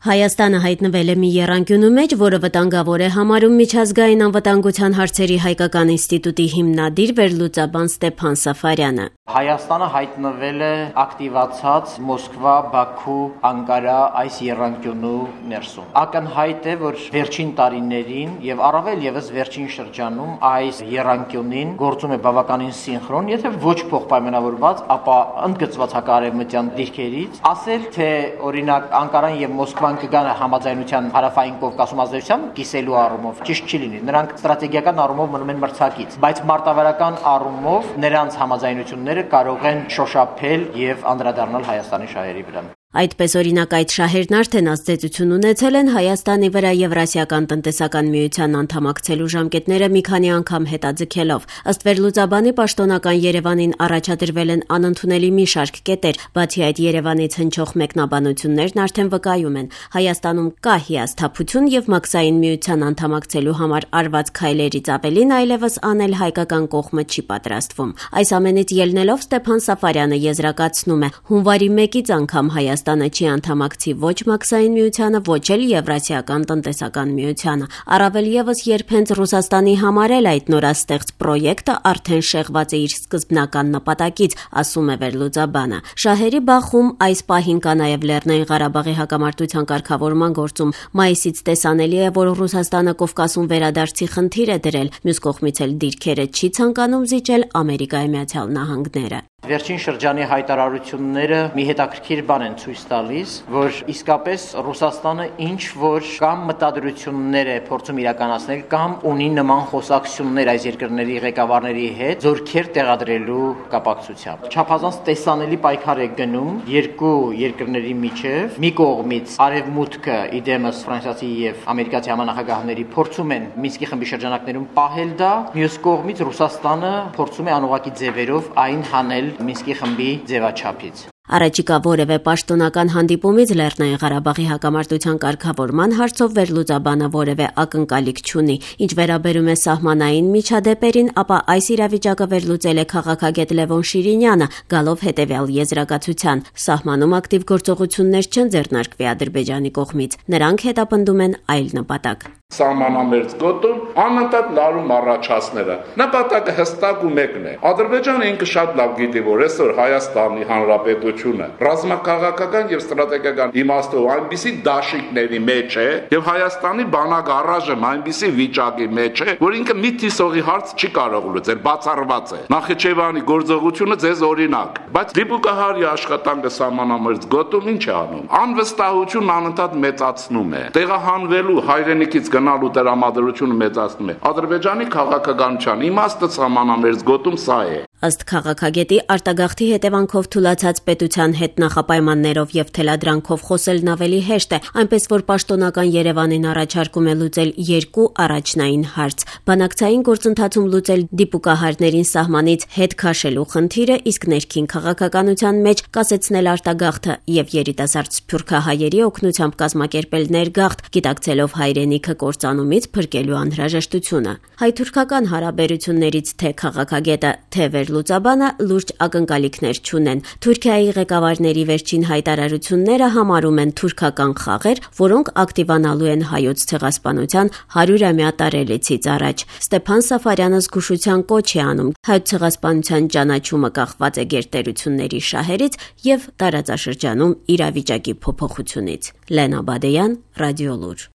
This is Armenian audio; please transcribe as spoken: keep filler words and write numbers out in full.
Հայաստանը հայտնվել է մի եռանկյունու մեջ, որը վտանգավոր է համարում միջազգային անվտանգության հարցերի հայկական ինստիտուտի հիմնադիր վերլուծաբան Ստեփան Սաֆարյանը։ Հայաստանը հայտնվել է ակտիվացած Մոսկվա, Բաքու, Անկարա այս եռանկյունու ներսում։ Ակնհայտ է, որ վերջին տարիներին եւ առավել եւս վերջին շրջանում այս եռանկյունին գործում է բավականին սինխրոն, եթե ոչ փոխպայմանավորված, ապա ընդգծված հակարևմտյան դիրքերից, ասել թե օրինակ Անկարան եւ Մոսկվան կգան համաձայնության հարավային Կովկասում ազդեցությամբ կիսելու առումով ճիշտ չի լինի։ Նրանք ստրատեգիական առումով մնում են մրցակից, բայց մարտավարական առումով նրանց համաձայնությունները կարող են շոշափել եւ անդրադառնալ Հայաստանի շահերի վրա։ Այդպես օրինակ այդ շահերն արդեն ազդեցություն ունեցել են Հայաստանի վրա Եվրասիական տնտեսական միության անդամակցելու ժամկետները մի քանի անգամ հետաձգելով։ Ըստ վերլուծաբանի պաշտոնական Երևանին առաջադրվել են անընդունելի մի շարք կետեր, բացի այդ Երևանից հնչող մեկնաբանություններն արդեն վկայում են Հայաստանում կա հիասթափություն եւ մաքսային միության անդամակցելու համար արված քայլերից ավելին այլևս անել հայկական կողմը չի պատրաստվում։ Այս ամենից ելնելով Ստեփան Սաֆարյանը եզրակացնում է. հունվարի մեկից անգամ Հայաստանը Հայաստանը չի անդամակցի ոչ մաքսային միությանը, ոչ էլ Եվրասիական տնտեսական միությանը։ Առավել եւս երբ հենց Ռուսաստանի համար էլ այդ նորաստեղծ պրոյեկտը արդեն շեղված է իր սկզբնական նպատակից, ասում է վերլուծաբանը։ Շահերի բախում այս պահին կա նաեւ Լեռնային Ղարաբաղի հակամարտության կարգավորման գործում։ Մայիսից տեսանելի է, որ Ռուսաստանը Կովկասում վերադարձի խնդիր է դրել, մյուս կողմից էլ դիրքերը չի ցանկանում զիջել Ամերիկայի Միացյալ Նահանգները։ Վերջին շրջանի հայտարարությունները մի հետաքրքիր բան են ցույց տալիս, որ իսկապես Ռուսաստանը ինչ որ կամ մտադրություններ է փորձում իրականացնել կամ ունի նման խոսակցություններ այս երկրների ղեկավարների հետ զորքեր տեղադրելու կապակցությամբ։ Չափազանց տեսանելի պայքար է գնում երկու երկրների միջև։ Մի կողմից Արևմուտքը իդեմս ֆրանսիացի եւ ամերիկացի համանախագահների փորձում են Մինսկի խմբի շրջանակներում պահել դա, մյուս կողմից Ռուսաստանը փորձում է անուղղակի ձևերով այն հանել Մինսկի խմբի ձևաչափից։ Առաջիկա որևէ պաշտոնական հանդիպումից Լեռնային Ղարաբաղի հակամարտության կարգավորման հարցով վերլուծաբանը որևէ ակնկալիք չունի։ Ինչ վերաբերում է սահմանային միջադեպերին, ապա այս իրավիճակը վերլուծել է քաղաքագետ Լևոն Շիրինյանը, գալով հետևյալ եզրակացության. սահմանում ակտիվ գործողություններ չեն ձեռնարկվի Ադրբեջանի կողմից, նրանք հետապնդում են այլ նպատակ։ Սահմանամերձ գոտում անընդհատ լարում առաջացները։ Նպատակը հստակ ու մեկն է։ Ադրբեջանը ինքը շատ լավ գիտի, որ այսօր Հայաստանի Հանրապետությունը ռազմաքաղաքական եւ ստրատեգիական իմաստով այնպիսի դաշինքների մեջ է եւ Հայաստանի բանակ առայժմ այնպիսի վիճակի մեջ է, որ ինքը մի թիսողի հարց չի կարող լուծել, բացառված է։ Նախիջևանի գործողությունը ձեզ օրինակ, բայց դիպուկահարի աշխատանքը սահմանամերձ գոտում ինչ է անում։ Անվստահությունն անընդհատ մեծացնում է։ Տեղահանվելու հայրենիքից գնալու տրամադրությունը մեծացնում է։ Ադրբեջանի քաղաքականության իմաստը սահմանամերձ գոտում սա է։ Ըստ քաղաքագետի արտագաղթի հետևանքով թուլացած պետության հետ նախապայմաններով եւ թելադրանքով խոսելն ավելի հեշտ է, այնպես որ պաշտոնական Երևանին առաջարկում է լուծել երկու առաջնային հարց՝ բանակցային գործընթացում լուծել դիպուկահարներին սահմանից հետ քաշելու խնդիրը, իսկ ներքին քաղաքականության մեջ կասեցնել արտագաղթը եւ երիտասարդ սփյուռքահայերի օգնությամբ կազմակերպել ներգաղթ, գիտակցելով հայրենիքը կործանումից փրկելու անհրաժեշտությունը։ Հայ-թուրքական հարաբերություններից թե քաղաքագետը, թե վերլուծաբանը լուրջ ակնկալիքներ չունեն։ Թուրքիայի ղեկավարների վերջին հայտարարությունները համարում են թուրքական խաղեր, որոնք ակտիվանալու են հայոց ցեղասպանության հարյուրամյա տարելիցից առաջ։ Ստեփան Սաֆարյանը զգուշության կոչ է անում։ Հայոց ցեղասպանության ճանաչումը կախված է գերտերությունների շահերից եւ տարածաշրջանում իրավիճակի փոփոխությունից։ Լենա Բադեյան, Ռադիոլուր։